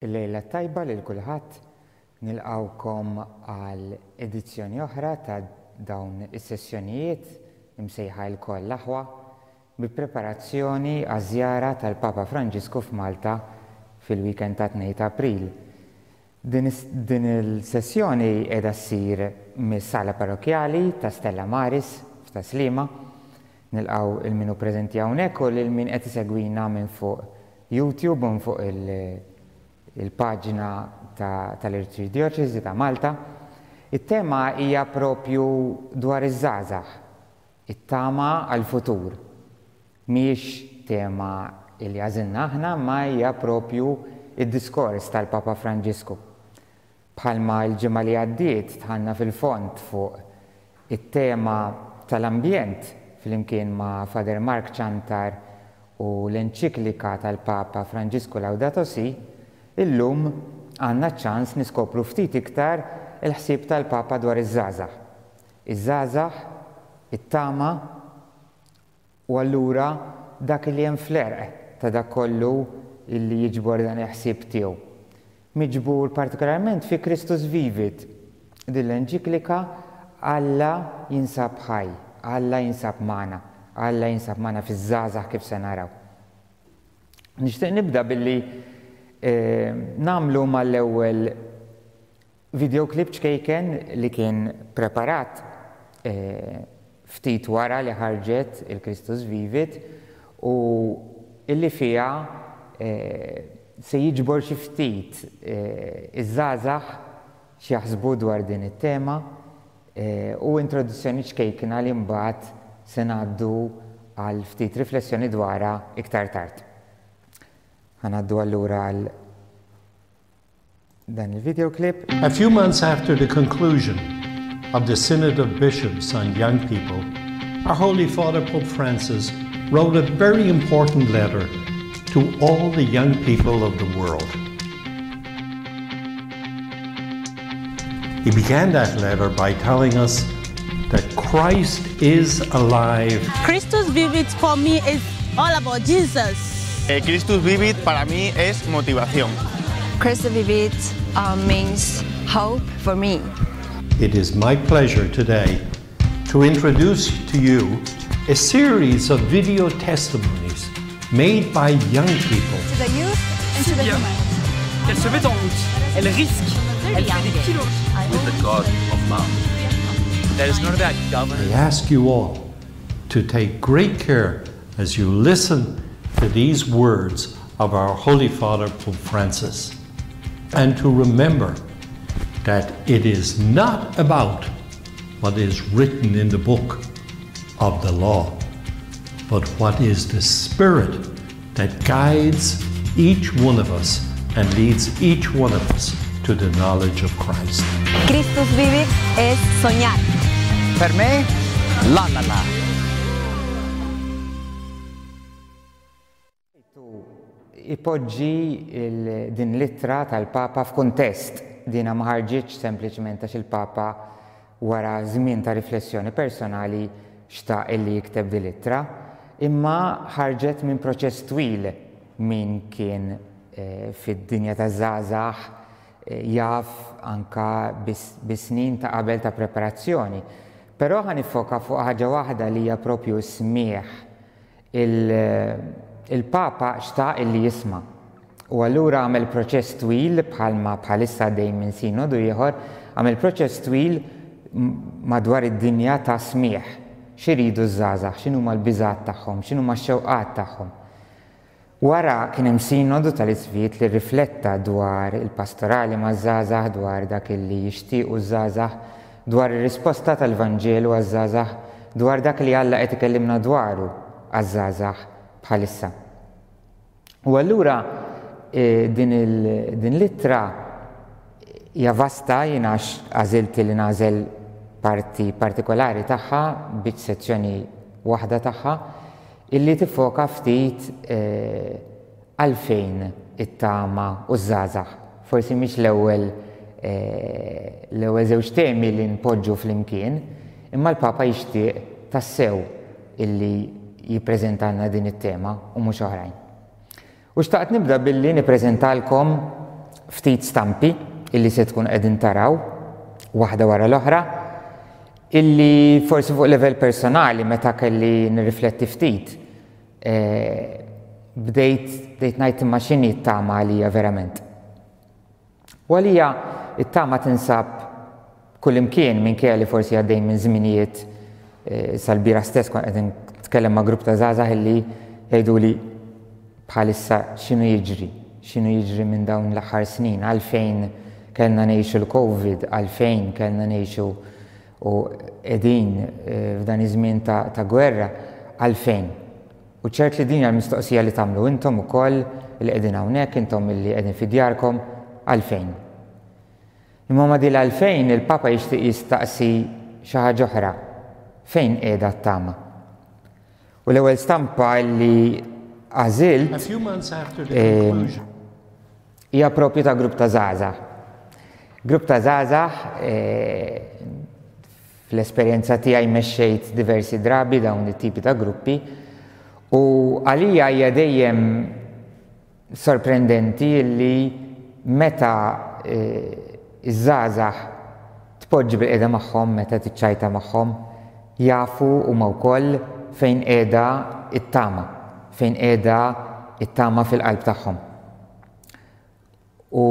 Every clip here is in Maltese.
Il-lejla t-tajba lil kulħadd. Nilqgħukom għal edizzjoni oħra ta' dawn is-sessjonijiet imsejħa Ilkoll l-Aħwa bi preparazzjoni għaż-żjara tal-Papa Franġisku f'Malta fil-weekend tat-Tnejn ta' April. Din din il-sessjoni qiegħda ssir mis-Sala Parrokkjali ta' Stella Maris f'Tas-Sliema. Nilqgħu 'l min hu preżenti hawnhekk u lil min qed isegwina minn fuq YouTube u minn fuq il-paġna tal-Arċidjoċesi ta' Malta. It-tema hija propju dwar iż-żgħażagħ, it-tama għall-futur. Mhijiex tema li għażilna aħna imma hija propju d-diskors tal-Papa Franġisku. Bħalma l-ġimgħa li għaddiet dħalna fil-fond fuq it-tema tal-ambjent flimkien ma' Father Mark Ciantar u l-enċiklika tal-Papa Franġisku Laudato Si', illum għandna ċ-ċans niskopru ftit iktar il-ħsieb tal-Papa dwar iż-żgħażagħ. Iż-żgħażagħ, it-tama U allura dak li hemm fl-għerq ta' dak kollu li jiġbor dan il-ħsieb tiegħu. Miġbur partikolarment fi Christus Vivit, din l-enċiklika Alla jinsab ħaj, Alla jinsab magħna, Alla jinsab magħna fiż-żgħażagħ kif se naraw. Nixtieq nibda billi nagħmlu mal-ewwel Video clip ċkejken li kien preparat ftit wara li ħarġet il-Christus Vivit u illi fiha se jiġbor xi ftit iż-żgħażagħ x'jaħsbu dwar din it-tema u introduzzjoni ċkejkna li mbagħad se ngħaddu għal ftit riflessjoni dwarha iktar tard. Ħa ngħaddu allura għal dan il-video clip. A few months after the conclusion of the Synod of Bishops on Young People, our Holy Father Pope Francis wrote a very important letter to all the young people of the world. He began that letter by telling us that Christ is alive. Christus Vivit for me is all about Jesus. Eh, Christus Vivit para mí es motivación. Christus Vivit uh, means hope for me. It is my pleasure today to introduce to you a series of video testimonies made by young people. To the youth and to the humanity. Qu'elle se met en route, elle risque, elle fait des kilos. With the God of Mom. That is not about governance. I ask you all to take great care as you listen to these words of our Holy Father, Pope Francis, and to remember that it is not about what is written in the book of the law, but what is the Spirit that guides each one of us and leads each one of us to the knowledge of Christ. Christus vivit es soñar. Per me, la la la. Ipoġġi din l-ittra tal-Papa f'kuntest. Dina ma ħarġitx sempliċement għax il-Papa wara żmien ta' riflessjoni personali xtaq illi jikteb din l-ittra, imma ħarġet minn proċess twil min kien fid-dinja taż-żgħażagħ jaf anka bi snin ta' qabel ta' preparazzjoni. Però ħa niffoka fuq ħaġa waħda li hija propju s-smigħ. Il-Papa xtaq illi jisma'. U allura għamel proċess twil bħalma bħalissa għaddej minn sinodu ieħor, għamel proċess twil madwar id-dinja ta' smigħ. X'iridu ż-żgħażagħ, x'inhuma l-biżgħat tagħhom, x'inhuma x-xewqat tagħhom. Wara kien hemm sinodu tal-Isqfijiet li rrifletta dwar il-pastorali maż-żgħażagħ, dwar dak illi jixtiequ ż-żgħażagħ, dwar ir-risposta tal-Vanġelu għaż-żgħażagħ, dwar dak li Alla qed ikellimna dwaru għaż-żgħażagħ bħalissa. U allura din din l-ittra hija vasta jien għax għażilt li nagħżel parti partikolari tagħha, biċ sezzjoni waħda tagħha, illi tiffoka ftit għalfejn it-tama u ż-żgħażagħ. Forsi mhix l-ewwel l-ewwel żewġ temi li npoġġu flimkien, imma l-Papa jixtieq tassew illi jippreżentalna din it-tema u mhux oħrajn. U xtaqt nibda billi nippreżentalkom ftit stampi illi se tkun qegħdin taraw waħda wara l-oħra illi forsi fuq livell personali meta kelli nirrifletti ftit eh, bdejt bdejt ngħid imma x'inhi t-tama għalija verament. U għalija it-tama tinsab kullimkien minkejja li forsi għaddejn minn żminijiet eh, sal-bira stess kont qed nitkellem ma' grupp ta' żgħażagħ illi jgħiduli bħalissa x'inhu jiġri, x'inhu jiġri minn dawn l-aħħar snin, għalfejn kellna ngħixu l-Covid, għalfejn kellna ngħixu u qegħdin eh, f'dan iż-żmien ta', ta gwerra, għalfejn. U ċert li din hija l-mistoqsija li tagħmlu intom ukoll li qegħdin hawnhekk, intom illi qegħdin fi djarkom, għalfejn? Imma ma' din l-għalfejn il-Papa jixtieq jistaqsi xi ħaġa oħra, fejn qiegħda t-tama? U l-ewwel stampa li għażilt ehm, hija propju ta' grupp ta' żgħażagħ. Grupp ta' żgħażagħ eh, Fl-esperjenza tiegħi mexxejt diversi drabi dawn it-tipi ta' gruppi u għalija hija dejjem sorprendenti li meta iż-żgħażagħ tpoġġi bilqiegħda magħhom, meta tiċċajta magħhom, jafu huma wkoll fejn qiegħda t-tama, fejn qiegħda t-tama fil-qalb tagħhom. U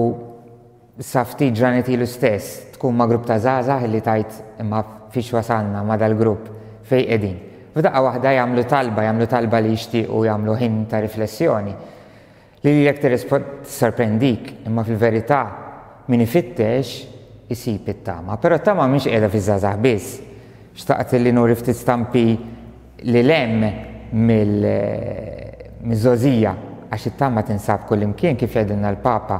sa ftit ġranet ilu stess tkun ma' grupp ta' żgħażagħ li tgħid imma fiex wasalna ma' dal-grupp fejn qegħdin. F'daqqa waħda jagħmlu talba, jagħmlu talba li jixtiequ jagħmlu ħin ta' riflessjoni. Li lilek tissorprendik, imma fil-verità min ifittex isib it-tama. Però t-tama mhix qiegħda fiż-żgħażagħ biss. Xtaqt li nuri ftit stampi Lil hemm mill-żgħożija, għax it-tama tinsab kullimkien kif jgħidilna l-Papa.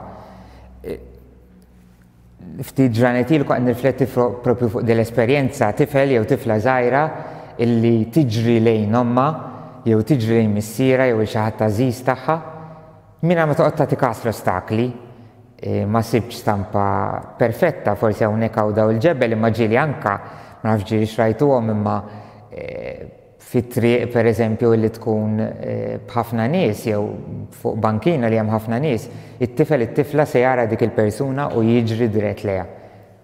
Ftit ġranet ilu kont nirrifletti propju fuq din l-esperjenza, tifel jew tifla żgħira illi tiġri lejn ommha jew tiġri lejn missierha jew il xi ħadd għażiż tagħha mingħajr ma toqgħod tagħti kas l-ostakli. Ma sibtx stampa perfetta, forsi hawnhekk hawn daw il-ġebel imma ġieli anka, ma nafx ġieli xrajtuhom imma fit-triq pereżempju illi tkun b'ħafna nies jew fuq bankina li hemm ħafna nies, it-tifel it-tifla se jara dik il-persuna u jiġri dirett lejha.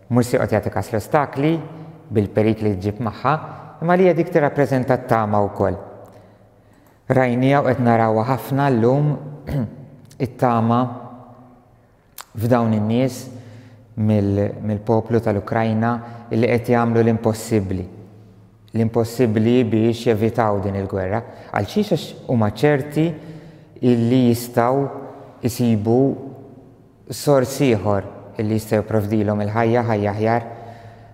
Mhux se joqgħod jagħti kas l-ostakli bil-perikli li ġġib magħha, imma għalija dik tirrappreżenta t-tama wkoll. Rajniha u qed narawha ħafna llum it-tama f'dawn in-nies mill-poplu tal-Ukrajna li qed jagħmlu l-impossibbli. L-impossibbli biex jevitaw din il-gwerra. Għal xiex għax huma ċerti illi jistgħu jsibu sors ieħor li jista' jipprovdilhom il-ħajja, ħajja aħjar,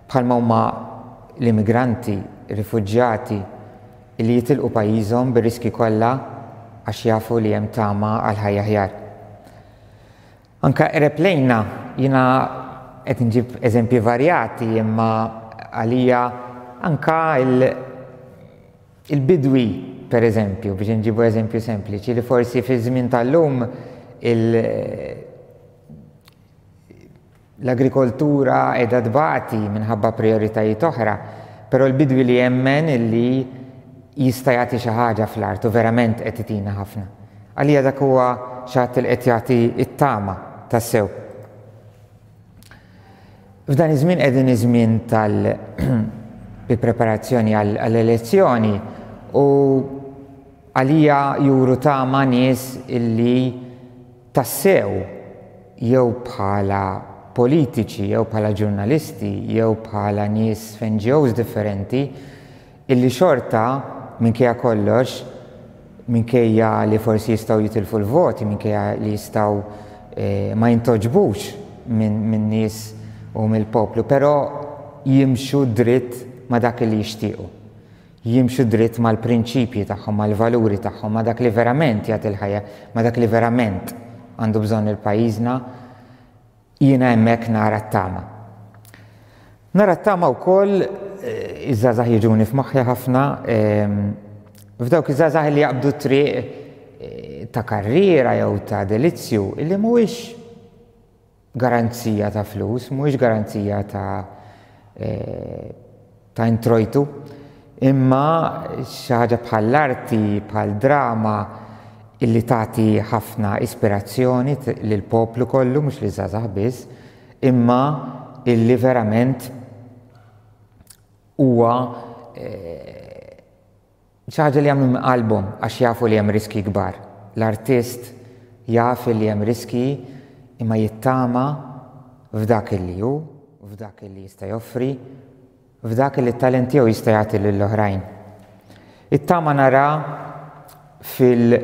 bħalma huma l-immigranti, rifuġjati li jitilqu pajjiżhom bir-riskji kollha għax jafu li hemm tama għal ħajja aħjar. Anke qreb lejna, jiena qed inġib eżempji varjati imma għalija anka Il-bidwi, per eżempju, biex inġibu eżempju sempliċi, li forsi fi żmien tal-lum l-agrikoltura qiegħda tbati minħabba prijoritajiet oħra, però l-bidwi li jemmen illi jista' jagħti xi ħaġa fl-art u verament qed itina ħafna. Għalija dak huwa xi ħadd li qed jagħti t-tama tassew. F'dan iż-żmien qegħdin iż-żmien tal bi preparazzjoni għall-elezzjoni u għalija juru tama nies illi tassew jew bħala politiċi jew bħala ġurnalisti jew bħala nies f'NGOs differenti Illi xorta, minkejja kollox, minkejja li forsi jistgħu jitilfu l-voti, minkejja li jistgħu ma jintgħoġbux min-nies u mill-poplu, però jimxu dritt ma' dak li jixtiequ. Jimxu dritt mal-prinċipji tagħhom, mal-valuri tagħhom, ma' dak li verament jagħti l-ħajja, ma' dak li verament għandu bżonn il-pajjiżna. Jiena hemmhekk nara t-tama. Nara t-tama wkoll eh, iż-żgħażagħ jiġuni f'moħħi ħafna ehm, f'dawk iż-żgħażagħ li jaqbdu triq eh, ta' karriera jew ta' delizzju illi mhuwiex garanzija ta' flus, mhuwiex garanzija ta' eh, ta' introjtu, imma xi ħaġa bħall-arti, bħal drama, illi tagħti ħafna ispirazzjoni lill-poplu kollu mhux liż-żgħażagħ biss, imma illi verament huwa xi ħaġa li jagħmlu minn qalbhom għax jafu li hemm riskji kbar. L-artist jaf li hemm riskji imma jittama f'dak illi hu, f'dak illi jista' joffri, f'dak illi t-talent tiegħu jista' jagħti lill-oħrajn. It-tama nara fil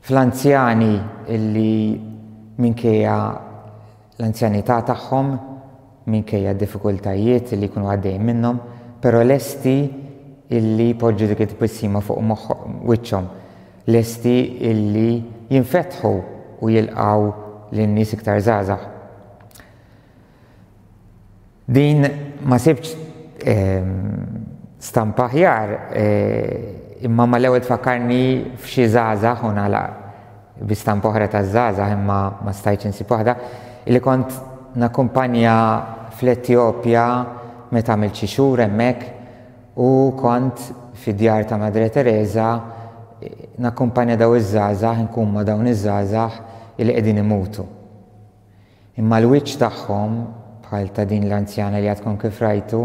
fl-anzjani illi minkejja l-anzjanità tagħhom, minkejja d-diffikultajiet li jkunu għaddejjin minnhom, però lesti illi jpoġġu dik it-tbissima fuq wiċċhom, lesti illi jinfetħu u jilqgħu lin-nies iktar żgħażagħ. Din ma sibtx stampa aħjar imma mal-ewwel tfakkarni f'xi żgħażagħ u nagħlaq bi stampa oħra taż-żgħażagħ imma ma stajtx insib waħda illi kont nakkumpanja fl-Etjopja meta għamilt xi xhur hemmhekk u kont fid-djar ta' Madre Teresa nakkumpanja daw iż-żgħażagħ inkun ma' dawn iż-żgħażagħ illi qegħdin imutu. Imma l-wiċċ tagħhom, bħal ta' din l-anzjana li għadkom kif rajtu,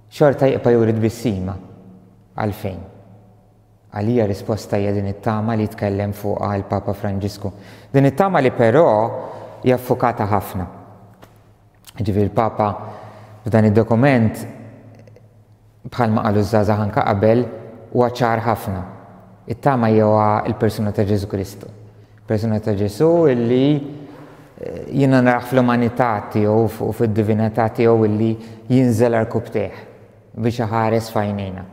xorta jibqa' juri tbissima. Għalfejn? Għalija risposta hija din it-tama li jitkellem fuqha l-Papa Franġisku. Din it-tama li però hija ffukata ħafna. Ġifieri l-Papa f'dan id-dokument Bħalma qalu ż-żgħażagħ anke qabel, huwa ċar ħafna. It-tama hija l-persuna ta' Ġesù Kristu. Persuna ta' Ġesù illi eh, jiena narah fl-umanità tiegħu u fid-divinità tiegħu illi jinżel għarkupptejh biex iħares f'għajnejna.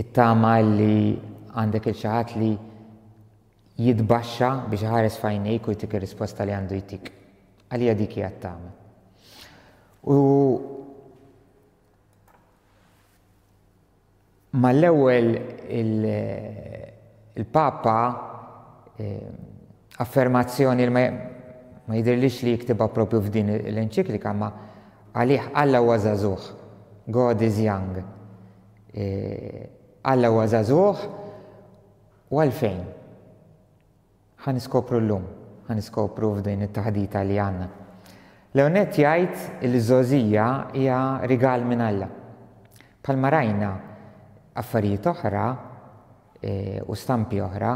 It-tama li għandek il xi ħadd li jitbaxxa biex iħares f'għajnejk u jtik ir-risposta li għandu jtik. Għalija dik hija t-tama. U Mal-ewwel il-Papa affermazzjoni li ma jidhirlix li jiktibha propju f'din l-enċiklika ma għalih Alla huwa żagħżugħ. God is young. Alla huwa żagħżugħ u għalfejn? Ħa niskopru llum, ħa niskopru f'din it-taħdita li għandna. L-ewwel nett jgħid li ż-żgħożija hija rigal minn Alla. Bħalma rajna affarijiet oħra u stampi oħra,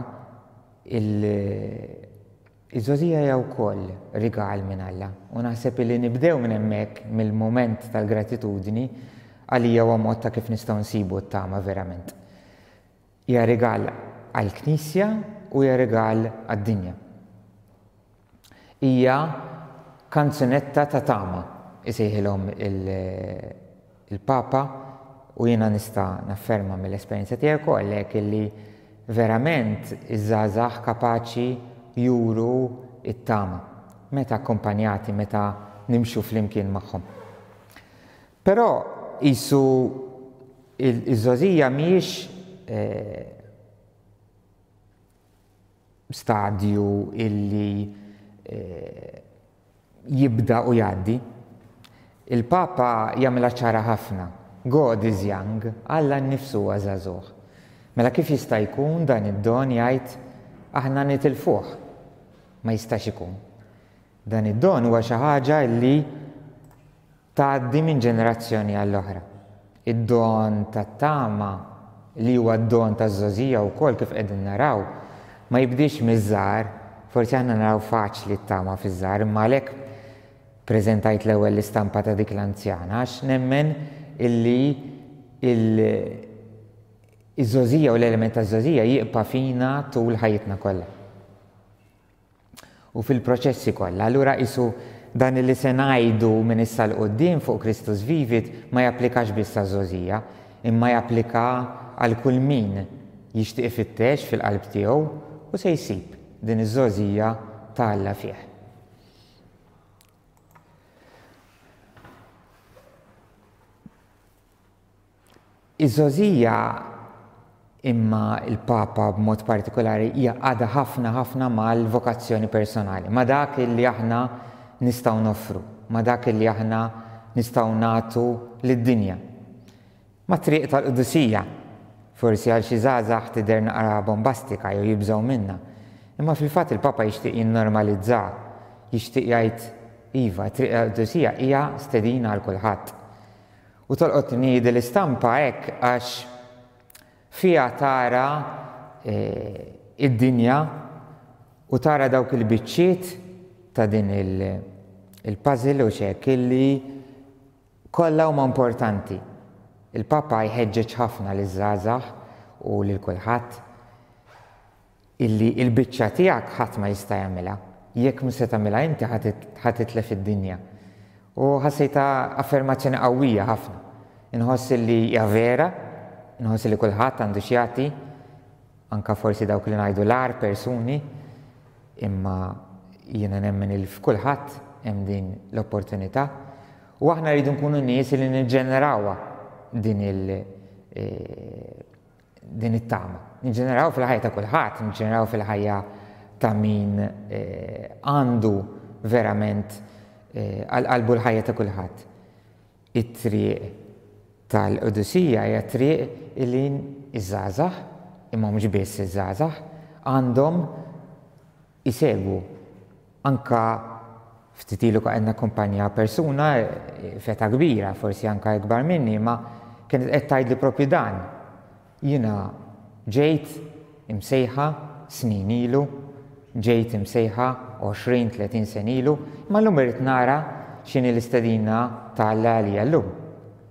iż-żgħożija hija wkoll rigal minn Alla. U naħseb li nibdew minn hemmhekk, mill-mument tal-gratitudni, għalija huwa mod ta' kif nistgħu nsibu t-tama verament. Hija rigal għall-Knisja u hija rigal għad-dinja. Hija kanzunetta ta' tama, isejħilhom il-Papa u jiena nista' nafferma mill-esperjenza tiegħi wkoll hekk illi verament iż-żgħażagħ kapaċi juru t-tama meta akkumpanjati, meta nimxu flimkien magħhom. Però qisu iż-żgħożija mhijiex stadju illi jibda u jgħaddi. Il-Papa jagħmilha ċara ħafna, God is young, Alla nnifsu huwa żagħżugħ. Mela kif jista' jkun dan id-don jgħid aħna nitilfuh? Ma jistax ikun. Dan id-don huwa xi ħaġa illi tgħaddi minn ġenerazzjoni għall-oħra. Id-don tat-tama, li huwa d-don taż-żgħożija wkoll kif qegħdin naraw, ma jibdiex miż-żgħar, forsi aħna naraw faċli t-tama fiż-żgħar, imma għalhekk preżentajt l-ewwel l-istampa ta' dik l-anzjana għax nemmen illi iż-żgħożija u l-element taż-żgħożija jibqa' fina tul ħajjitna kollha. u fil-proċessi kollha. Allura qisu dan li se ngħidu minn issa 'l quddiem fuq Christus Vivit ma japplikax biss għaż-żgħożija, imma japplika għal kull min jixtieq ifittex fil-qalb tiegħu u se jsib din iż-żgħożija ta' Alla fih. Iż-żgħożija, imma l-Papa b'mod partikolari, jgħaqqadha ħafna ħafna mal-vokazzjoni personali, ma' dak li aħna nistgħu noffru, ma' dak li aħna nistgħu nagħtu lid-dinja. Mat-triq tal-qdusija. Forsi għal xi żgħażagħ tidher naqra bombastika jew jibżgħu minnha. Imma fil-fatt il-Papa jixtieq jinnormalizzaha, jixtieq jgħid, iva, it-triq tal-qdusija hija stedina għal kulħadd. U tolqotni din l-istampa hekk għax fiha tara id-dinja u tara dawk il-biċċiet ta' din il-puzzle u x'hekk illi kollha huma importanti. Il-Papa jħeġġeġ ħafna liż-żgħażagħ u lil kulħadd illi l-biċċa tiegħek ħadd ma jista' jagħmilha. Jekk mhux se tagħmilha inti ħa titlef id-dinja. U ħassejtha affermazzjoni qawwija ħafna. Inħoss illi hija vera, inħoss illi kulħadd għandu x'jagħti, anke forsi dawk li ngħidu l-agħar persuni, imma jiena nemmen il f'kulħadd hemm din l-opportunità u aħna rridu nkunu nies li niġġenerawha din il eh, din it-tama. Niġġeneraw fil-ħajja ta' kulħadd, niġġeneraw fil-ħajja ta' min eh, għandu verament eh, għal qalbu l-ħajja ta' kulħadd. It-triq tal-qdusija hija triq illi iż-żgħażagħ, imma mhux biss iż-żgħażagħ, għandhom isegwu. Anka ftit ilu qed nakkumpanja persuna f'età kbira, forsi anka ikbar minni, imma kienet qed tgħidli propju dan. Jiena ġejt imsejħa snin ilu, ġejt imsejħa 20, 30 sena ilu, imma llum irrid nara x'inhi l-istedina ta' Alla għalija llum.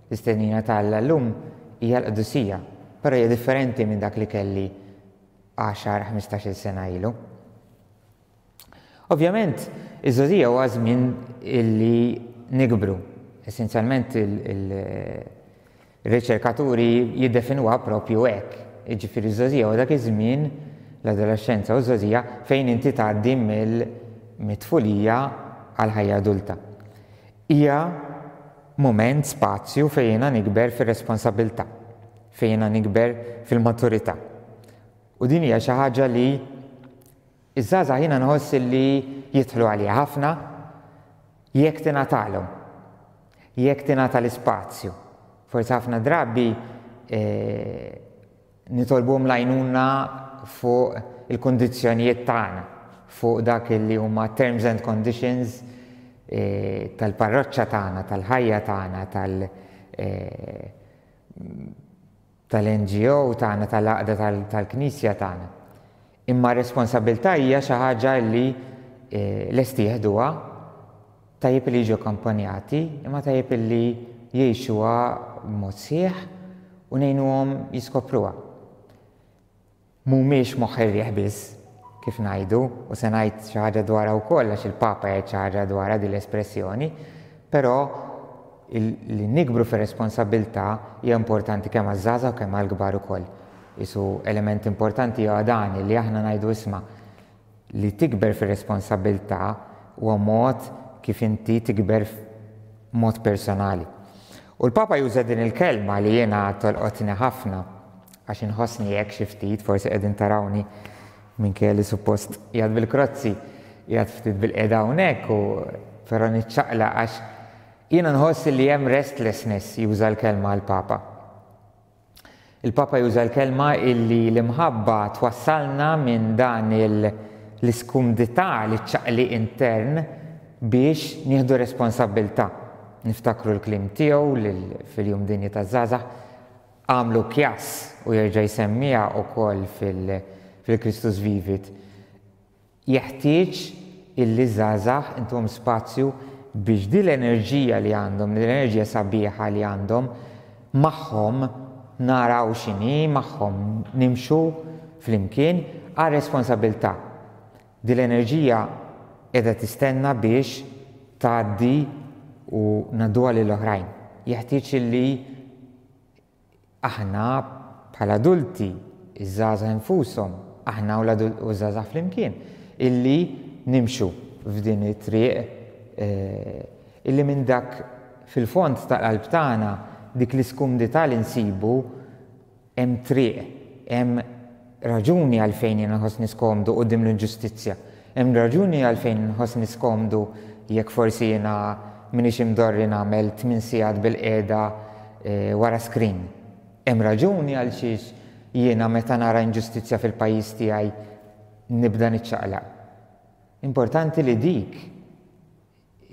L-istedina ta' Alla llum hija l-qdusija, però hija differenti minn dak li kelli għaxar, ħmistax-il sena ilu. Ovvjament, iż-żgħożija huwa żmien illi nikbru. Essenzjalment il-riċerkaturi jiddefinuha propju hekk. Jiġifieri ż-żgħożija huwa dak iż-żmien, l-adolexxenza u ż-żgħożija, fejn inti tgħaddi mill-tfulija għall-ħajja adulta. Hija mument, spazju fejn jiena nikber fir-responsabilità, fejn jiena nikber fil-maturità. U din hija xi ħaġa li Iż-żgħażagħ jiena nħoss li jidħlu għaliha ħafna jekk tingħatalhom, jekk tingħata l-ispazju. Forsi ħafna drabi eh, nitolbuhom l-għajnuna fuq il-kundizzjonijiet tagħna, fuq dak li huma terms and conditions eh, tal-parroċċa tagħna, tal-ħajja tagħna, tal- eh, tal-NGO tagħna, tal-għaqda tal-Knisja tagħna. Imma r-responsabbiltà hija xi ħaġa li eh, lesti jeħduha, tajjeb li jiġu akkampanjati, imma tajjeb li jgħixuha b'mod sħiħ u ngħinuhom jiskopruha. Mhumiex moħħ ir-riħ biss, kif ngħidu, u se ngħid xi ħaġa dwarha wkoll għax il-Papa jgħid xi ħaġa dwarha din l-espressjoni, però li nikbru fir-responsabbiltà hija importanti kemm għaż-żgħażagħ u kemm għall-kbar ukoll. Qisu element importanti huwa dan li aħna ngħidu isma' li tikber fir-responsabbiltà huwa mod kif inti tikber mod personali. U l-Papa juża din il-kelma li jiena tolqotni ħafna għax inħossni hekk xi ftit, forsi qegħdin tarawni minkejja li suppost qiegħed bil-krozzi, qiegħed ftit bil-qiegħda hawnhekk u però niċċaqlaq għax jiena nħoss li hemm restlessness juża l-kelma l-Papa. Il-Papa juża l-kelma illi l-imħabba twassalna minn dan l-iskumdità, l-ċaqliq intern biex nieħdu responsabbiltà. Niftakru l-kliem tiegħu fil-Jum Dinji taż-Żgħażagħ, għamlu kjass u jerġa' jsemmiha wkoll fil-Christus Vivit. Jeħtieġ illi ż-żgħażagħ intuhom spazju biex din l-enerġija li għandhom, din l-enerġija sabiħa li għandhom, magħhom naraw x'inhi, magħhom nimxu flimkien għar-responsabilità. Din l-enerġija qiegħda tistenna biex tgħaddi u ngħadduha lil oħrajn. Jeħtieġ illi Aħna bħala adulti, iż-żgħażagħ infushom, aħna u l-żgħażagħ flimkien, illi nimxu f'din it-triq illi minn dak fil-fond tal-qalb tagħna dik l-iskumdità li nsibu hemm triq, hemm raġuni għalfejn jiena nħossni skomdu quddiem l-inġustizzja. Hemm raġuni għalfejn nħossni skomdu jekk forsi jiena m'iniex imdorri nagħmel tmien sigħat bilqiegħda wara screen. Hemm raġuni għalxiex jiena meta nara inġustizzja fil-pajjiż tiegħi nibda niċċaqlaq. Importanti li dik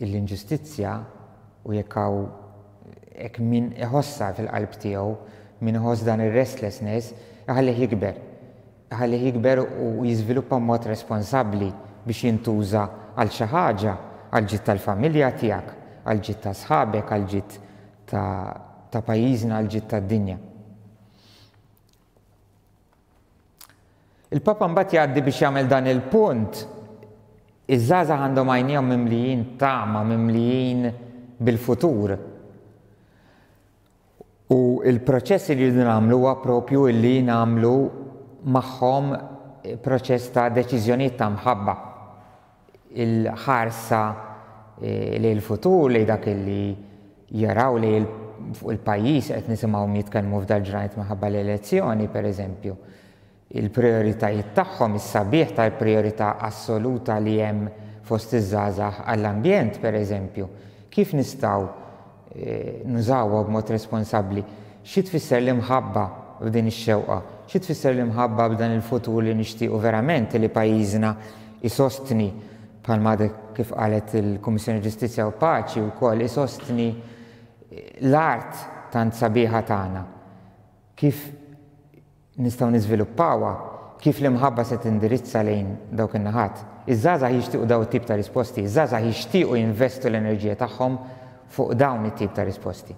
l-inġustizzja u jekk hawn hekk min iħossha fil-qalb tiegħu, min iħoss dan ir-restlessness, iħallih jikber. Iħallih jikber u jiżviluppa b'mod responsabbli biex jintuża għal xi ħaġa, għall-ġid tal-familja tiegħek, għall-ġid ta' sħabek, għall-ġid ta' pajjiżna, għall-ġid tad-dinja. Il-Papa mbagħad jgħaddi biex jagħmel dan il-punt, iż-żgħażagħ għandhom għajnejhom mimlijin tama, mimlijin bil-futur. U il-proċess li rridu nagħmlu huwa propju li nagħmlu magħhom proċess ta' deċiżjonijiet ta' mħabba. Il-ħarsa eh, lejn il-futur, lejn dak li jaraw li fuq il-pajjiż qed nisimgħuhom jitkellmu f'dal-ġranet minħabba l-elezzjoni, pereżempju. Il-prijoritajiet tagħhom, is-sabiħ tal-prijorità assoluta li hemm fost iż-żgħażagħ għall-ambjent, pereżempju. Kif nistgħu eh, nużawha b'mod responsabbli? Xi tfisser l-imħabba f'din ix-xewqa? Xi tfisser l-imħabba b'dan il-futur li nixtiequ verament li pajjiżna isostni bħalma għadek kif qalet il-Kummissjoni Ġustizzja u Paċi wkoll isostni l-art tant sabiħa tagħna. Kif nistgħu niżviluppawha, kif l-imħabba se tindirizza lejn dawk in-naħat. Iż-żgħażagħ jixtiequ daw it-tip ta' risposti, iż-żgħażagħ jixtiequ jinvestu l-enerġija tagħhom fuq dawn it-tip ta' risposti.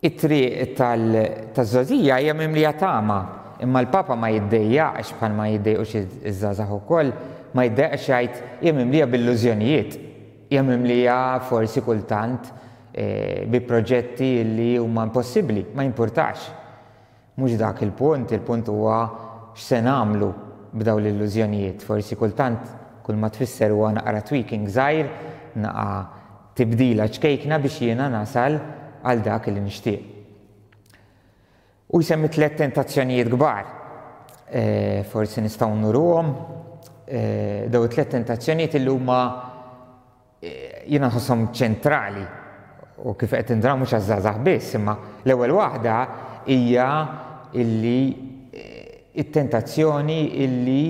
It-triq taż-żgħożija hija mimlija tama, imma l-Papa ma jiddejjaqx bħalma jiddejqux iż-żgħażagħ ukoll, ma jiddejjaqx jgħid hija mimlija b'illużjonijiet, hija mimlija forsi kultant bi proġetti li huma impossibbli, ma jimpurtax. Mhux dak il-punt, il-punt huwa x'se nagħmlu b'dawn l-illużjonijiet. Forsi kultant kull ma tfisser huwa naqra tweaking żgħir, naqa' tibdila ċkejkna biex jiena nasal għal dak li nixtieq. U jsemmi tlett tentazzjonijiet kbar. E, forsi nistgħu nuruhom e, daw it-tliet tentazzjonijiet li huma e, jiena nħosshom ċentrali u kif qed indraw mhux għaż-żgħażagħ biss, imma l-ewwel waħda hija illi it-tentazzjoni illi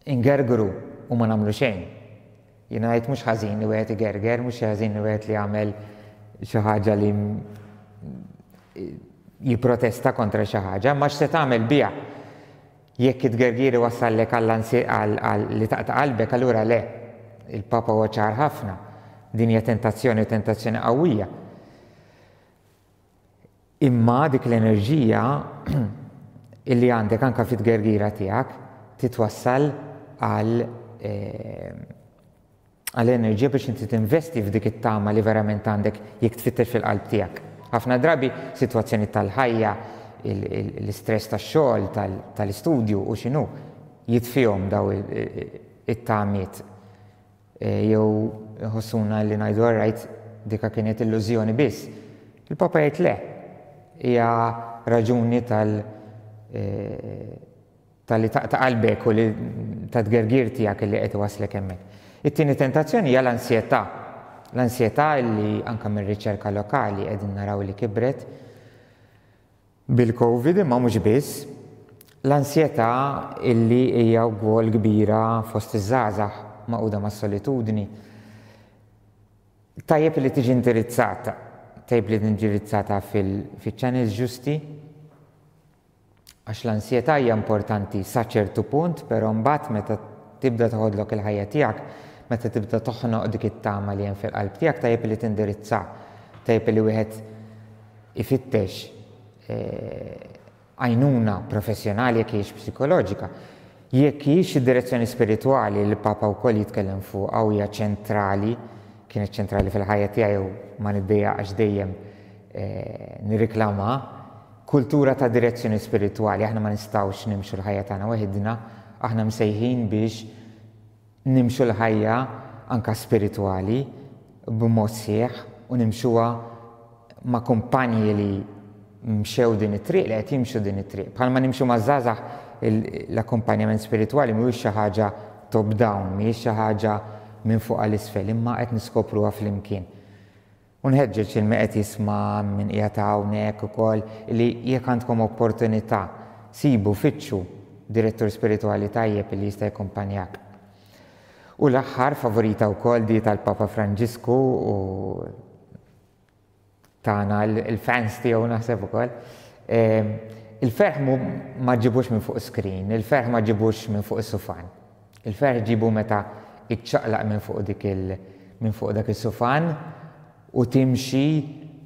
ingergru u ma nagħmlu xejn. Jiena ngħid mhux ħażin li wieħed igerger, mhux ħażin li wieħed li jagħmel xi ħaġa li jipprotesta kontra xi ħaġa, ma x'se tagħmel biha. Jekk it-tgergir iwassallek għal li taqta' qalbek, allura le. Il-Papa huwa ċar ħafna. Din hija tentazzjoni u tentazzjoni qawwija. Imma dik l-enerġija illi għandek anka fit-tgergira tiegħek titwassal għal eh, għal enerġija biex inti tinvesti f'dik it-tama li verament għandek jekk tfittex fil-qalb tiegħek. Ħafna drabi sitwazzjoni tal-ħajja, l-istress tax-xogħol, tal-istudju u x'inhu jitfihom daw it-tamiet. Jew iħossuna li ngħidu all right, dika kienet illużjoni biss. Il-Papa jgħid le. Hija raġuni tal tal-li taqta' qalbek u li ta' tgergir tiegħek li qed iwasslek hemmhekk. It-tieni tentazzjoni hija l-ansjetà. L-ansjetà li anke mir-riċerka lokali qegħdin naraw li kibret Bil-Covid imma mhux biss, l-ansjetà illi hija wkoll kbira fost iż-żgħażagħ magħquda mas-solitudni, tajjeb li tiġi indirizzata, tajjeb li indirizzata fil-channels ġusti, għax l-ansjetà hija importanti sa ċertu punt, però mbagħad meta tibda toħodlok il-ħajja tiegħek, meta tibda toħnoq dik it-tama li hemm fil-qalb tiegħek, tajjeb li tindirizza, tajjeb li wieħed ifittex għajnuna professjonali jekk hijiex psikoloġika. Jekk hijiex id-direzzjoni spiritwali li l-Papa wkoll jitkellem fuqha u hija ċentrali, kienet ċentrali fil-ħajja tiegħi u ma niddejjaqx dejjem nirriklama, kultura ta' direzzjoni spiritwali, aħna ma nistgħux nimxu l-ħajja tagħna waħidna, aħna msejħin biex nimxu l-ħajja anke spiritwali b'mod sħiħ u nimxuha ma' kumpanji li mxew din it-triq, li qed jimxu din it-triq. Bħalma nimxu maż-żgħażagħ l-akkumpanjament spiritwali mhuwiex xi ħaġa top down, mhijiex xi ħaġa minn fuq għal isfel, imma qed niskopruha flimkien. U nħeġġeġ lil min qed jisma' min qiegħed hawnhekk ukoll li jekk għandkom opportunità, sibu, fittxu direttur spiritwali tajjeb li jista' jakkumpanjak. U l-aħħar favorita wkoll di tal-Papa Franġisku u tagħna l-fans tiegħu naħseb ukoll. Ehm, il-ferħ ma ġibux minn fuq screen, il-ferħ ma ġibux minn fuq is-sufan. Il-ferħ ġibu meta iċċaqlaq minn fuq dik il minn fuq dak is-sufan u timxi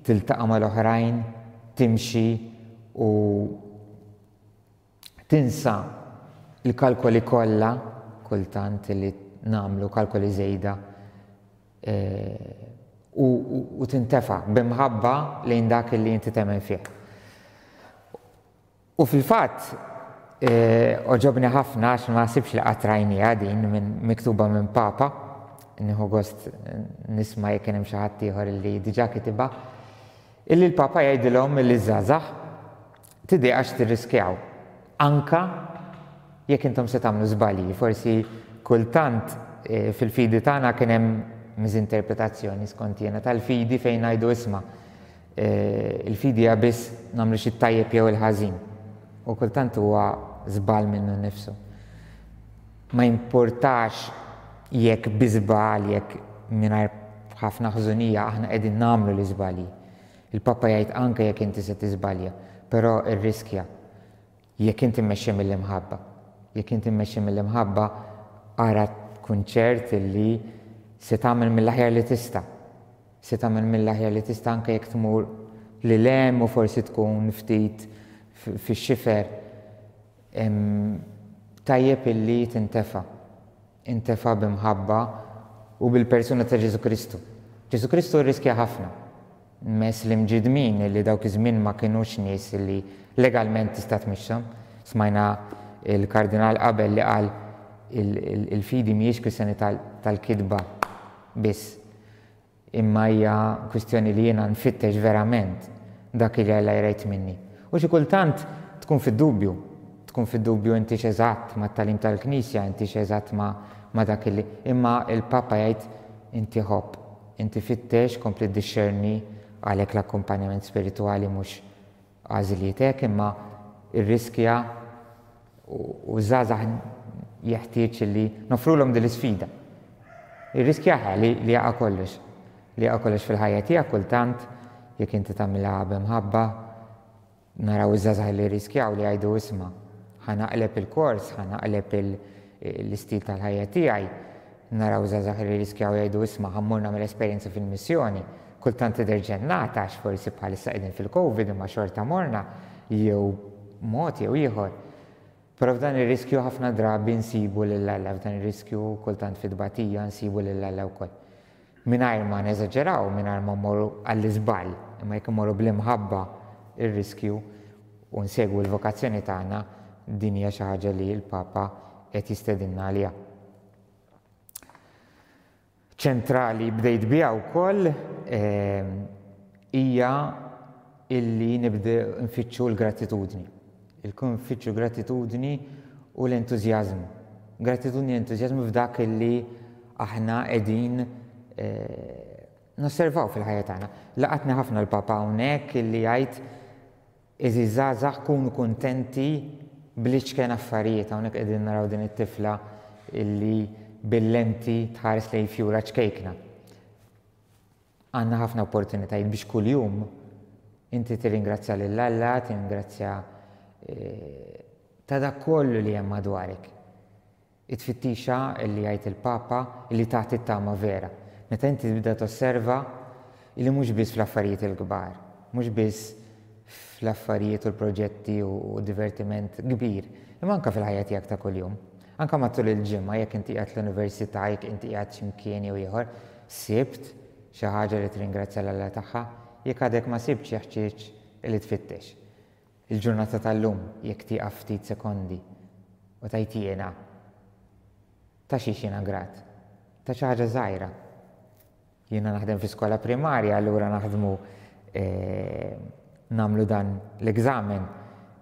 tiltaqa' mal-oħrajn, timxi u tinsa l-kalkoli kollha kultant li nagħmlu kalkoli żejda u, u tintefa' b'imħabba lejn dak li inti temmen fih. U fil-fatt, għoġobni ħafna għax ma naħsibx li qatt rajniha din minn miktuba minn Papa, nieħu gost nisma' jekk kien hemm xi ħadd ieħor li diġà kitibha, illi l-Papa jgħidilhom illi ż-żgħażagħ tidejqax tirriskjaw anka jekk intom se tagħmlu żbalji. Forsi kultant fil-fidi tagħna kien hemm miżinterpretazzjoni skont jiena tal-fidi fejn ngħidu isma' Il-fidi hija biss nagħmlu xi tajjeb jew il-ħażin. U kultant huwa żball minnu nnifsu. Ma jimpurtax jekk bi żball, jekk mingħajr ħafna ħżunija aħna qegħdin nagħmlu l-iżbalji. Il-Papa jgħid anke jekk inti se tiżbalja, però irriskja. Jekk inti mmexxi mill-imħabba. Jekk inti mmexxi mill-imħabba, ara tkun ċert li se tagħmel mill-aħjar li tista'. Se tagħmel mill-aħjar li tista' anke jekk tmur lil hemm u forsi tkun ftit fix-xifer. Tajjeb illi tintefa'. Intefa' b'imħabba u bil-persuna ta' Ġesù Kristu. Ġesù Kristu rriskja ħafna. Mess l-imġiddmin li dawk iż-żmien ma kinux nies li legalment tista' tmixshom. Smajna l-Kardinal qabel li qal il-fidi mhijiex kwistjoni tal-kitba biss, imma hija kwistjoni li jiena nfittex verament dak li Alla jrid minni. U xi kultant tkun fid-dubju, tkun fid-dubju intix eżatt mat-tagħlim tal-Knisja, intix eżatt ma' dak li, imma l-Papa jgħid inti ħobb. Inti fittex, kompli ddixxerni, għalhekk l-akkumpanjament spiritwali mhux għażliet hekk imma irriskja u ż-żgħażagħ jeħtieġ li noffrulhom din l-isfida. Irriskja li li jaqa' kollox, li jaqa' kollox fil-ħajja tiegħek kultant jekk inti tagħmilha b'imħabba, Naraw iż-żgħażagħ li jirriskjaw li jgħidu isma', ħa naqleb il-kors, ħa naqleb l-istil tal-ħajja tiegħi. Naraw żgħażagħ li jirriskjaw jgħidu isma' ħa mmur nagħmel esperjenza fil-missjoni. Kultant tidher ġennata għax forsi bħalissa qegħdin fil-Covid imma xorta morna jew mod jew ieħor. Però f'dan ir-riskju ħafna drabi nsibu lil Alla, f'dan ir-riskju kultant fit-tbatija nsibu lil Alla wkoll. Mingħajr ma neżaġeraw, mingħajr ma mmorru għall-iżball, imma jekk immorru bl-imħabba r-riskju u nsegwu l-vokazzjoni tagħna, din hija xi ħaġa li l-Papa qed jistedinna għaliha. Ċentrali bdejt biha wkoll hija illi nibdew nfittxu l-gratitudni. Il-kun nfittxu gratitudni u l-entużjażmu. Gratitudni u entużjażmu f'dak illi aħna qegħdin nosservaw fil-ħajja tagħna. Laqatni ħafna l-Papa hawnhekk illi jgħid Għeżież żgħażagħ kunu kuntenti bl-iċken affarijiet. Hawnhekk qegħdin naraw din it-tifla illi bil-lenti tħares lejn fjura ċkejkna. Għandna ħafna opportunitajiet biex kuljum inti tirringrazzja lil Alla, tirringrazzja eh, ta' dak kollu li hemm madwarek. It-tfittixa li jgħid il-Papa li tagħti t-tama vera. Meta inti tibda tosserva li mhux biss fl-affarijiet il-kbar, mhux biss fl-affarijiet u l-proġetti u divertiment kbir, imma anke fil-ħajja tiegħek ta' kuljum. Anke matul il-ġimgħa jekk inti qiegħed l-università, jekk inti qiegħed xi mkien jew ieħor, sibt xi ħaġa li tirringrazzja 'l Alla tagħha? Jekk għadek ma sibtx jeħtieġ li tfittex. Il-ġurnata tal-lum jekk tieqaf ftit sekondi u tgħid jiena ta' xiex jiena grat? Ta' xi ħaġa żgħira. Jiena naħdem fi skola primarja allura naħdmu eh, nagħmlu dan l-egzamen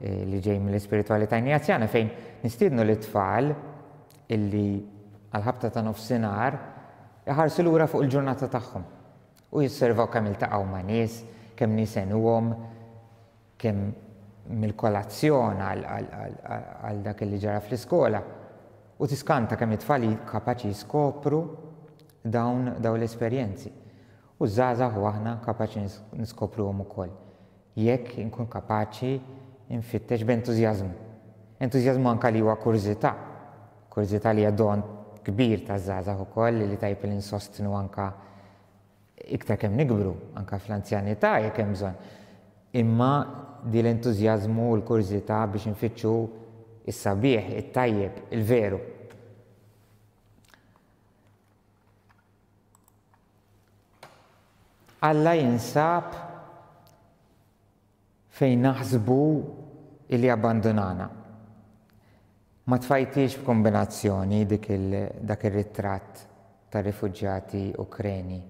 eh, li ġej mill-ispiritwalità injazjana fejn nistiednu lit-tfal illi għal-ħabta ta' nofsinhar iħarsu lura fuq il-ġurnata tagħhom. U josservaw kemm iltaqgħu ma' nies, kemm nies għenuhom, kemm mill-kolazzjon għal dak li ġara fl-iskola. U tiskanta kemm it-tfal kapaċi jiskopru dawn dawn l-esperjenzi. U ż-żgħażagħ u aħna kapaċi niskopruhom ukoll. Jekk inkun kapaċi nfittex b'entużjażmu. Entużjażmu anke li huwa kurżità. Kurżità li hija don kbir taż-żgħażagħ ukoll li tajjeb li nsostnu anke iktar kemm nikbru, anke fl-anzjanità jekk hemm bżonn. Imma di l-entużjażmu u l-kurżità biex infittxu s-sabiħ, it-tajjeb, il-veru. Alla jinsab fejn naħsbu illi abbandunana. Ma tfajtix b'kombinazzjoni dik il, dak ir-ritratt tar-rifuġjati Ukreni.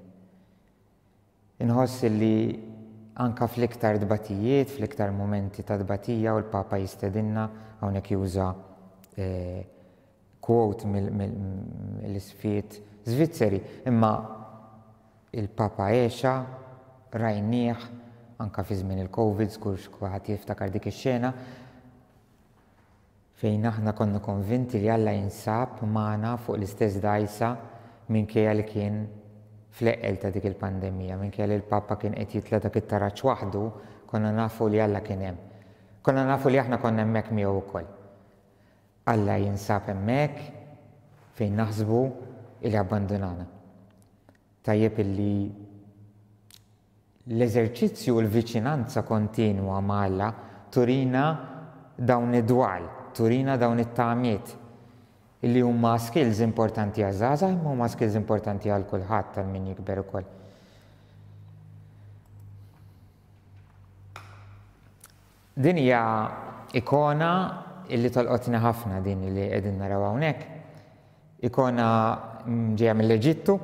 Inħoss illi anka fl-iktar tbatijiet, fl-iktar mumenti ta' tbatija u l-Papa jistedinna hawnhekk juża eh, quote mill-isfiet Svizzeri, imma il-Papa għexha, rajnieh anka fi żmien il-Covid, żgur kulħadd jiftakar dik ix-xena, fejn aħna konna konvinti li Alla jinsab magħna fuq l-istess dgħajsa minkejja li kien fl-eqqel ta' dik il-pandemija, minkejja li l-Papa kien qed jitla' dak it-taraġ waħdu, konna nafu li Alla kien hemm. Konna nafu li aħna konna hemmhekk miegħu wkoll. Alla jinsab hemmhekk fejn naħsbu li abbandunana. Tajjeb illi l-eżerċizzju u l-viċinanza kontinwa ma' Alla turina dawn id-dwal, turina dawn it-tamiet illi huma skills importanti għaż-żgħażagħ imma huma skills importanti għal kulħadd għal min jikber ukoll. Din hija ikona illi tolqotni ħafna din li qegħdin naraw hawnhekk. Ikona ġejja mill-Eġittu,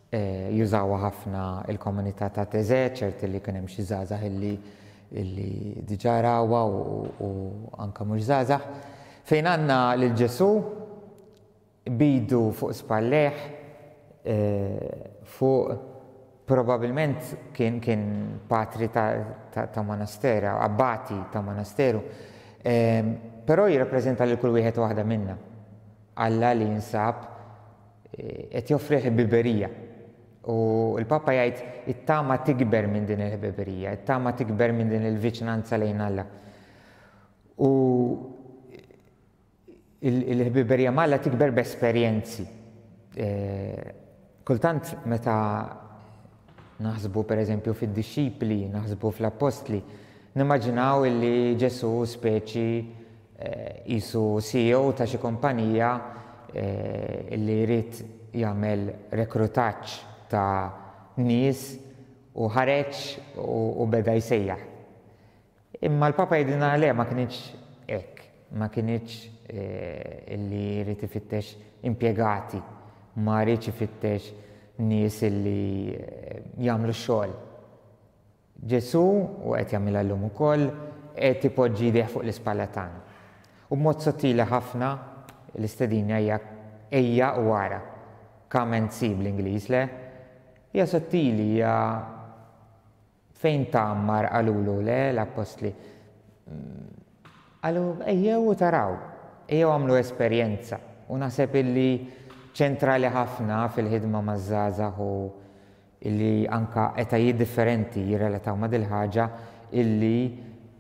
eh, jużawha ħafna il-komunità ta' Teze, ċerti li kien hemm xi żgħażagħ illi illi diġà rawha u anke mhux żgħażagħ. Fejn għandna lil Ġesù b'idu fuq spallejh fuq probabilment kien kien patri ta', ta, ta monastera, abbati ta' monasteru. Però jirrappreżenta lil kull wieħed u waħda minna. Alla li jinsab qed joffri ħbiberija. U l-Papa jgħid it-tama tikber minn din il-ħbiberija, it-tama tikber minn din il-viċinanza lejn Alla. U Il-ħbiberija ma' Alla tikber b'esperjenzi. Kultant meta naħsbu pereżempju fid-dixxipli, naħsbu fl-appostli, nimmaġinaw illi Ġesù speċi qisu CEO ta' xi kumpanija illi jrid jagħmel rekrutaġġ ta' nies u ħareġ u beda jsejjaħ. Imma l-Papa jgħidilna le ma kinitx hekk, ma kinitx illi jrid ifittex impjegati, ma riedx ifittex nies illi jagħmlu x-xogħol. Ġesù, u qed jagħmilha llum ukoll, qed ipoġġi jdejh fuq l-ispalla tagħna. U b'mod sottili ħafna l-istedina hija ejja u ara. Come and see bl-Ingliż, le? Hija sottili, hija Fejn tgħammar qalulu le l-appostli. Qalu ejjew u taraw, ejjew agħmlu esperjenza. U naħseb illi ċentrali ħafna fil-ħidma maż-żgħażagħ u illi anka etajiet differenti jirrelataw ma' dil-ħaġa illi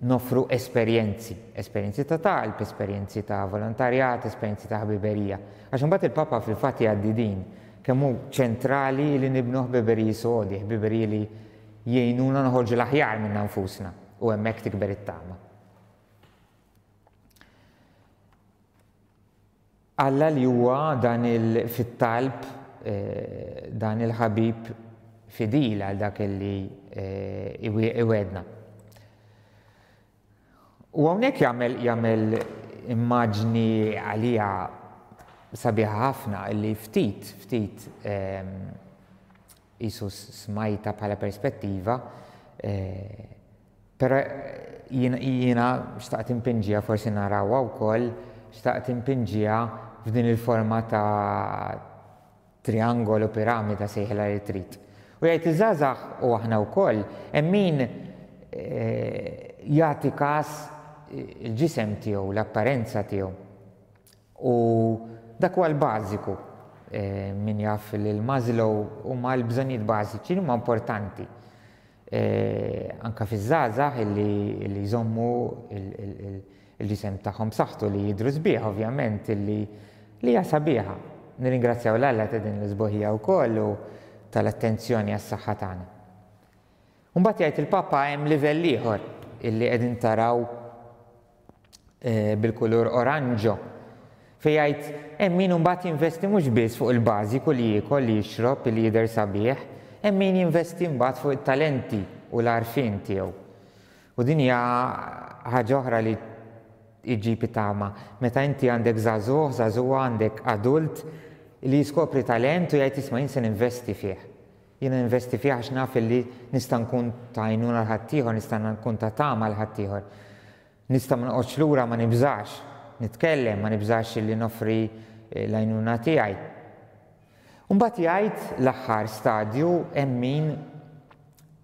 noffru esperjenzi, esperjenzi ta' talb, esperjenzi ta' volontarjat, esperjenzi ta' ħbiberija. Għax imbagħad il-Papa fil-fatt jgħaddi din Kemm hu ċentrali li nibnu ħbiberiji sodi, ħbiberiji li jgħinuna noħorġu l-aħjar minna nfusna u hemmhekk tikber it-tama. Alla li huwa dan il fit-talb eh, dan il-ħabib fidil għal dak li eh, iwedna. U hawnhekk jagħmel jagħmel immaġni għalija sabiħa ħafna li ftit ftit ehm, qisu smajta bħala perspettiva, eh, però jiena xtaqt impinġiha forsi narawha wkoll, xtaqt impinġiha f'din il-forma ta' triangolu, piramida sejħilha li trid. U jgħid iż-żgħażagħ u aħna wkoll hemm min jagħti każ il-ġisem tiegħu, l-apparenza tiegħu. U dak huwa l-bażiku. Min jaf lil Maslow huma l-bżonnijiet bażiċi li huma importanti. Anka fiż-żgħażagħ illi jżommu il-ġisem tagħhom b'saħħtu li jidhru sbieħ ovvjament illi li hija sabiħa. Nirringrazzjaw 'l Alla ta' din l-isbuħija wkoll u tal-attenzjoni għas-saħħa tagħna. U mbagħad jgħid il-Papa hemm livell ieħor illi qegħdin taraw bil-kulur oranġo, fejn jgħid hemm min imbagħad jinvesti mhux biss fuq il-bażiku li jiekol, li jixrob, li jidher sabiħ, hemm min jinvesti mbagħad fuq it-talenti u l-għarfien tiegħu. U din hija ħaġa oħra li iġġib it-tama. Meta inti għandek żagħżugħ, żagħżugħa, għandek adult li jiskopri talent u jgħid isma' jien se ninvesti fih. Jiena ninvesti fih għax naf illi nista' nkun ta' għajnuna għal ħaddieħor, nista' nkun ta' tama għal ħaddieħor. Nista' ma noqgħodx lura, ma nibżax nitkellem, ma nibżax illi noffri l-għajnuna tiegħi. U mbagħad jgħid l-aħħar stadju hemm min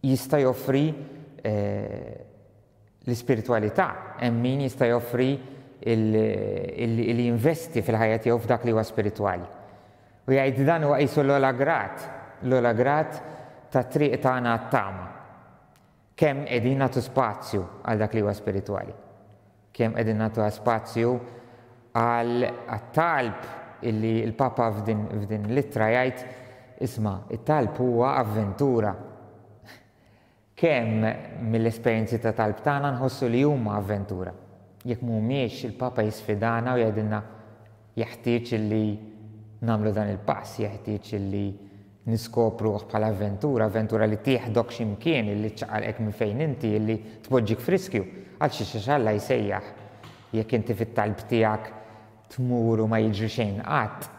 jista' joffri l-ispiritwalità, hemm min jista' joffri li jinvesti fil-ħajja tiegħu f'dak li huwa spiritwali. U jgħid dan huwa qisu l-ogħla grad, l-ogħla grad tat-triq tagħna għat-tama. Kemm qegħdin nagħtu spazju għal dak li huwa spiritwali? Kemm qegħdin nagħtu spazju għal talb illi l-Papa f'din, f'din l-ittra jgħid isma' it-talb huwa avventura. Kemm mill-esperjenzi ta' talb tagħna nħossu li huma avventura? Jekk mhumiex, il-Papa jisfidana u jgħidilna jeħtieġ illi nagħmlu dan il-pass, jeħtieġ illi niskopruh bħala avventura, avventura li tieħdok xi mkien, illi ċċaqalqek minn fejn inti, illi tpoġġik f'riskju. Għal xiex għax Alla jsejjaħ. Jekk inti fit-talb tiegħek tmur u ma jiġri xejn qatt,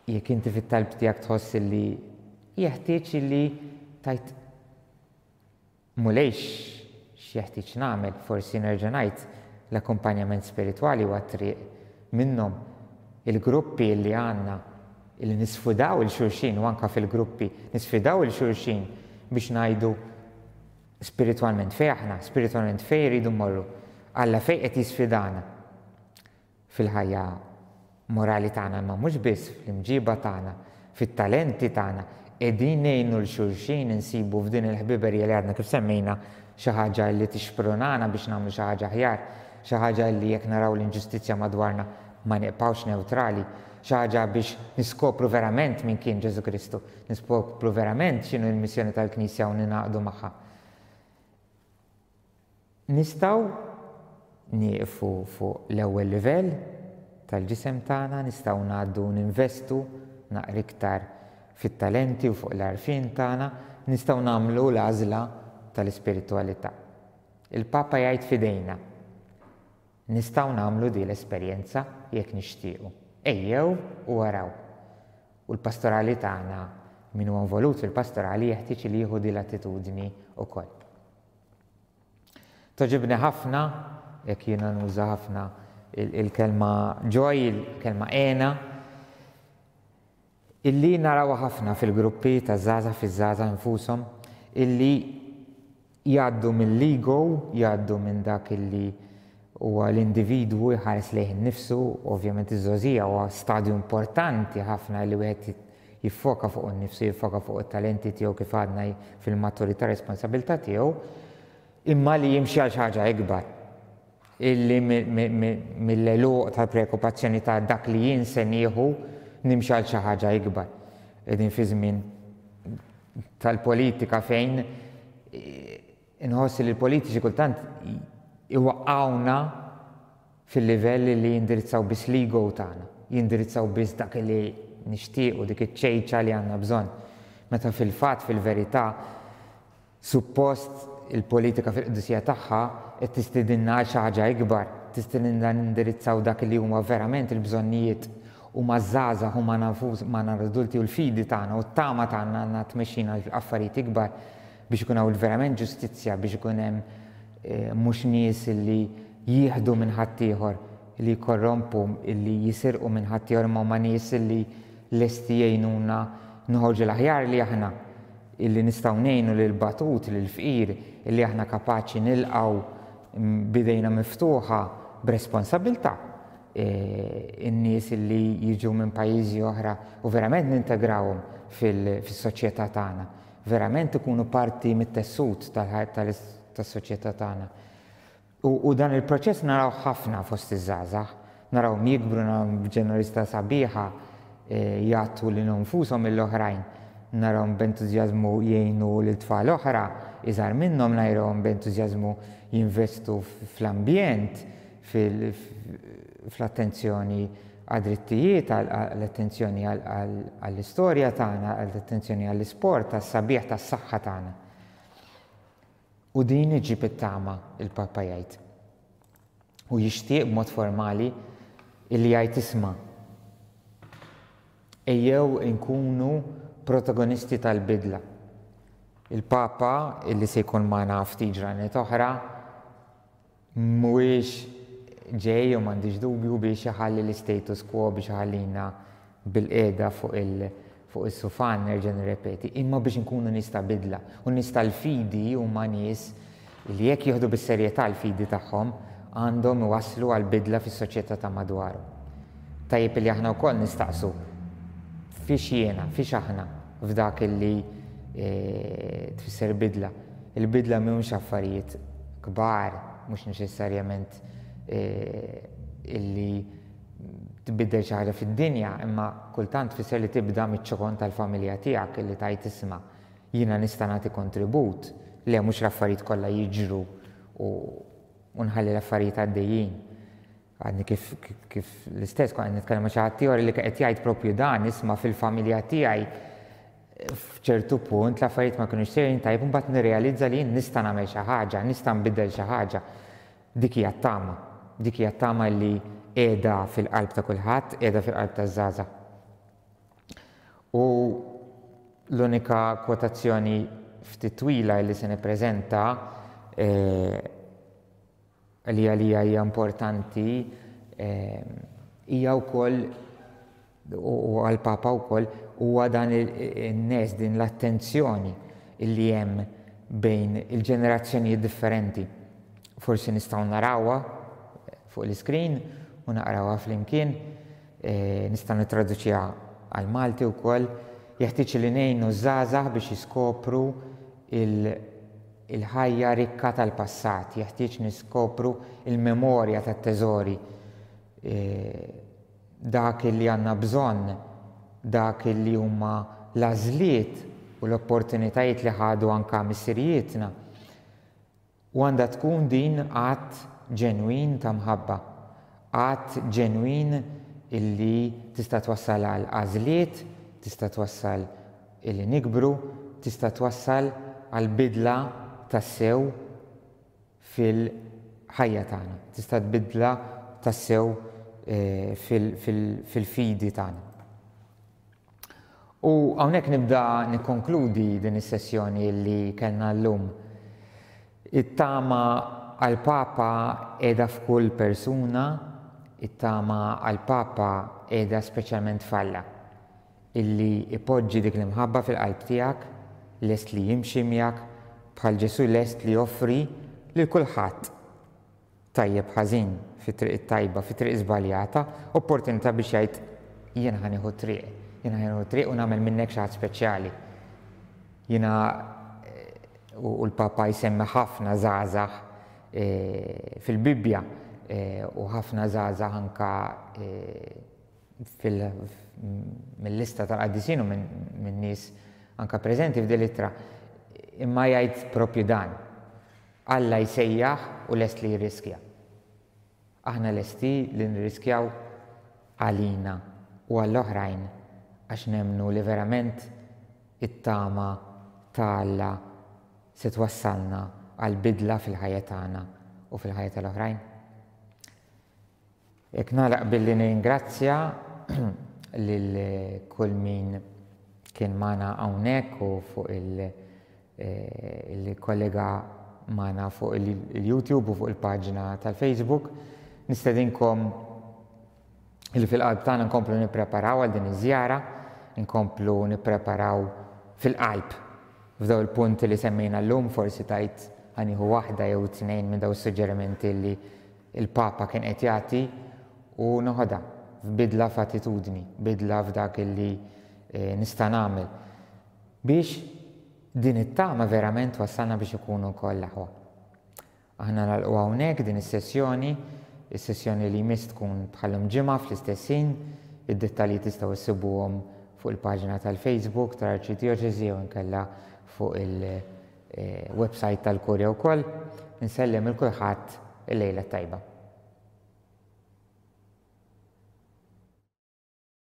Jekk inti fit-talb tiegħek tħoss illi jeħtieġ illi tgħid Mulej x'jeħtieġ nagħmel, forsi nerġa' ngħid l-akkumpanjament spiritwali huwa triq minnhom. Il-gruppi li għandna illi nisfidaw il xulxin u anka fil-gruppi nisfidaw il xulxin biex ngħidu spiritwalment fejn aħna, spiritwalment fejn irridu mmorru. Alla fejn qed jisfidana. fil-ħajja morali tagħna imma mhux biss, fl-imġiba tagħna, fit-talenti tagħna, qegħdin ngħinu 'l xulxin insibu f'din il-ħbiberija li għadna kif semmejna xi ħaġa li tixprunana biex nagħmlu xi ħaġa aħjar, xi ħaġa li jekk naraw l-inġustizzja madwarna ma nibqgħux newtrali, xi ħaġa biex niskopru verament min kien Ġesù Kristu, niskopru verament x'inhu l-missjoni tal-Knisja u ningħaqdu magħha. Nistgħu nieqfu fuq l-ewwel livell tal-ġisem tagħna, nistgħu ngħaddu ninvestu naqra iktar fit-talenti u fuq l-għarfien tagħna, nistgħu nagħmlu l-għażla tal-ispiritwalità. Il-Papa jgħid f'idejna. Nistgħu nagħmlu din l-esperjenza jekk nixtiequ. Ejjew u araw. U l-pastorali tagħna, min huwa involut fil-pastorali jeħtieġ li jieħu din l-attitudni wkoll. Togħġibni ħafna, jekk jiena nuża ħafna il-kelma joy, il-kelma hena, illi narawha ħafna fil-gruppi ta' żgħażagħ fiż-żgħażagħ infushom, illi jgħaddu mill-ego, jgħaddu minn dak illi huwa l-individwu jħares lejh innifsu, ovvjament iż-żgħożija huwa stadju importanti ħafna li wieħed jiffoka fuqu nnifsu, jiffoka fuq it-talenti tiegħu kif għadna fil-maturità responsabilità tiegħu, imma li jimxi għal xi ħaġa ikbar. Illi mill-għeluq tal-preokkupazzjoni ta' dak li jien se nieħu nimxi għal xi ħaġa ikbar. Qegħdin fi żmien tal-politika fejn inħoss li l-politiċi kultant iwaqqgħuna fil-livell li jindirizzaw biss l-ego tagħna, jindirizzaw biss dak li nixtiequ, dik iċ-ċejċa li għandna bżonn. Meta fil-fatt, fil-verità, suppost il-politika fil-qdusija tagħha qed tistidinna għal xi ħaġa ikbar, tistidinna nindirizzaw dak li huma verament il-bżonnijiet huma ż-żgħażagħ, huma magħna l-adulti u l-fidi tagħna u t-tama tagħna għandna tmexxina għal affarijiet ikbar biex ikun hawn verament ġustizzja, biex ikun hemm mhux nies li jieħdu minn ħaddieħor, li jkorrompu, li jisirqu minn ħaddieħor, imma huma nies li lesti jgħinuna noħorġu l-aħjar li aħna, illi nistgħu ngħinu lill-batut, lill-fqir, illi aħna kapaċi nilqgħu b'idejna miftuħa b'responsabbiltà in-nies illi jiġu minn pajjiżi oħra u verament nintegrawhom fis-soċjetà tagħna, verament ikunu parti mit-tessut tas-soċjetà tagħna. U dan il-proċess narawh ħafna fost iż-żgħażagħ. Narawhom jikbru, narawhom b'ġenerożità sabiħa jagħtu lilhom infushom lill-oħrajn. Narawhom b'entużjażmu jgħinu lil tfal oħra iżgħar minnhom, narawhom b'entużjażmu jinvestu fl-ambjent, fl-attenzjoni għad-drittijiet, għall-attenzjoni għall-istorja tagħna, għall-attenzjoni għall-isport, għas-sabiħ tas-saħħa tagħna. U din iġġib it-tama, il-Papa jgħid. U jixtieq b'mod formali illi jgħid isma' ejjew inkunu protagonisti tal-bidla. Il-Papa illi se jkun magħna ftit ġranet oħra Mhuwiex ġej u m'għandix dubju biex iħalli l-istatus quo biex iħallina bilqiegħda fuq il fuq is-sufan nerġa' nirrepeti, imma biex inkunu nies ta' bidla. U n-nies tal-fidi huma nies li jekk jieħdu bis-serjetà l-fidi tagħhom għandhom iwasslu għal bidla fis-soċjetà ta' madwarhom. Tajjeb li aħna wkoll nistaqsu fiex jiena, fiex aħna f'dak illi tfisser bidla. Il-bidla mhumiex affarijiet kbar, mhux neċessarjament illi tbiddel xi ħaġa fid-dinja, imma kultant tfisser li tibda miċ-ċokon tal-familja tiegħek illi tgħid isma' jiena nista' nagħti kontribut, le mhux l-affarijiet kollha jiġru u nħalli l-affarijiet għaddejjin. Għadni kif kif l-istess kont qed nitkellem ma' xi ħadd ieħor li qed jgħid propju dan, isma' fil-familja tiegħi f'ċertu punt l-affarijiet ma kinux sejrin tajjeb imbagħad nirrealizza li jien nista' nagħmel xi ħaġa, nista' nbiddel xi ħaġa. Dik hija t-tama. Dik hija t-tama li qiegħda fil-qalb ta' kulħadd, qiegħda fil-qalb taż-żgħażagħ. U l-unika kwotazzjoni ftit twila li se nippreżenta eh, li għalija hija importanti hija wkoll u għall-Papa wkoll huwa dan in-nes din l-attenzjoni li hemm bejn il-ġenerazzjonijiet differenti. Forsi nistgħu narawha fuq l-iskrin u naqrawha flimkien, nistgħu nittraduċiha għall-Malti wkoll. Jeħtieġ li ngħinu ż-żgħażagħ biex jiskopru il-ħajja rikka tal-passat, jeħtieġ niskopru l-memorja tat-teżori, dak li għandna bżonn, dak li huma l-għażliet u l-opportunitajiet li ħadu anke missirijietna. U għandha tkun din att ġenwin ta' mħabba, att ġenwin illi tista' twassal għal għażliet, tista' twassal illi nikbru, tista' twassal għal bidla tassew fil-ħajja tagħna, tista' tbidla tassew fil-fidi tagħna. U hawnhekk nibda nikkonkludi din is-sessjoni li kellna llum. It-tama għall-Papa qiegħda f'kull persuna, it-tama għall-Papa qiegħda speċjalment f'Alla, illi ipoġġi dik l-imħabba fil-qalb tiegħek, lest li jimxi miegħek, bħal Ġesù lest li joffri lil kulħadd tajjeb ħażin, fit-triq it-tajba, fit-triq żbaljata, opportunità biex jgħid jiena ħa nieħu t-triq, jiena ħa nieħu t-triq u nagħmel minnek xi ħadd speċjali. Jiena u l-Papa jsemmi ħafna żgħażagħ fil-Bibbja u ħafna żgħażagħ anka mill-lista tal-qaddisin u minn nies anka preżenti f'din l-ittra, imma jgħid propju dan. Alla jsejjaħ u lest li jirriskja. Aħna lesti li nirriskjaw għalina u għall-oħrajn għax nemmnu li verament it-tama ta' Alla se twassalna għal bidla fil-ħajja tagħna u fil-ħajja tal-oħrajn? Hekk nagħlaq billi nirringrazzja lil kull min kien magħna hawnhekk u fuq il- eh, kollega magħna fuq il-YouTube u fuq il-paġna tal-Facebook. Nistedinkom li fil-qalb tagħna nkomplu nippreparaw għal din iż-żjara. Inkomplu nippreparaw fil-qalb f'daw il-punti li semmejna llum, forsi tajt ħa nieħu waħda jew tnejn minn daw is-suġġerimenti li il-Papa kien qed jagħti u noħodha f'bidla f'attitudni, bidla f'dak li nista' nagħmel biex din it-tama verament twassalna biex ikunu wkoll l-aħwa. Aħna nagħlqu hawnhekk din is-sessjoni, is-sessjoni li jmiss tkun bħal-lum ġimgħa fl-istess ħin, id-dettalji tistgħu issibuhom fuq il-paġna tal-Facebook tal-Arċidjoċesi jew inkella fuq il-website tal-Kurja wkoll. Insellem il kulħadd il-lejla t-tajba.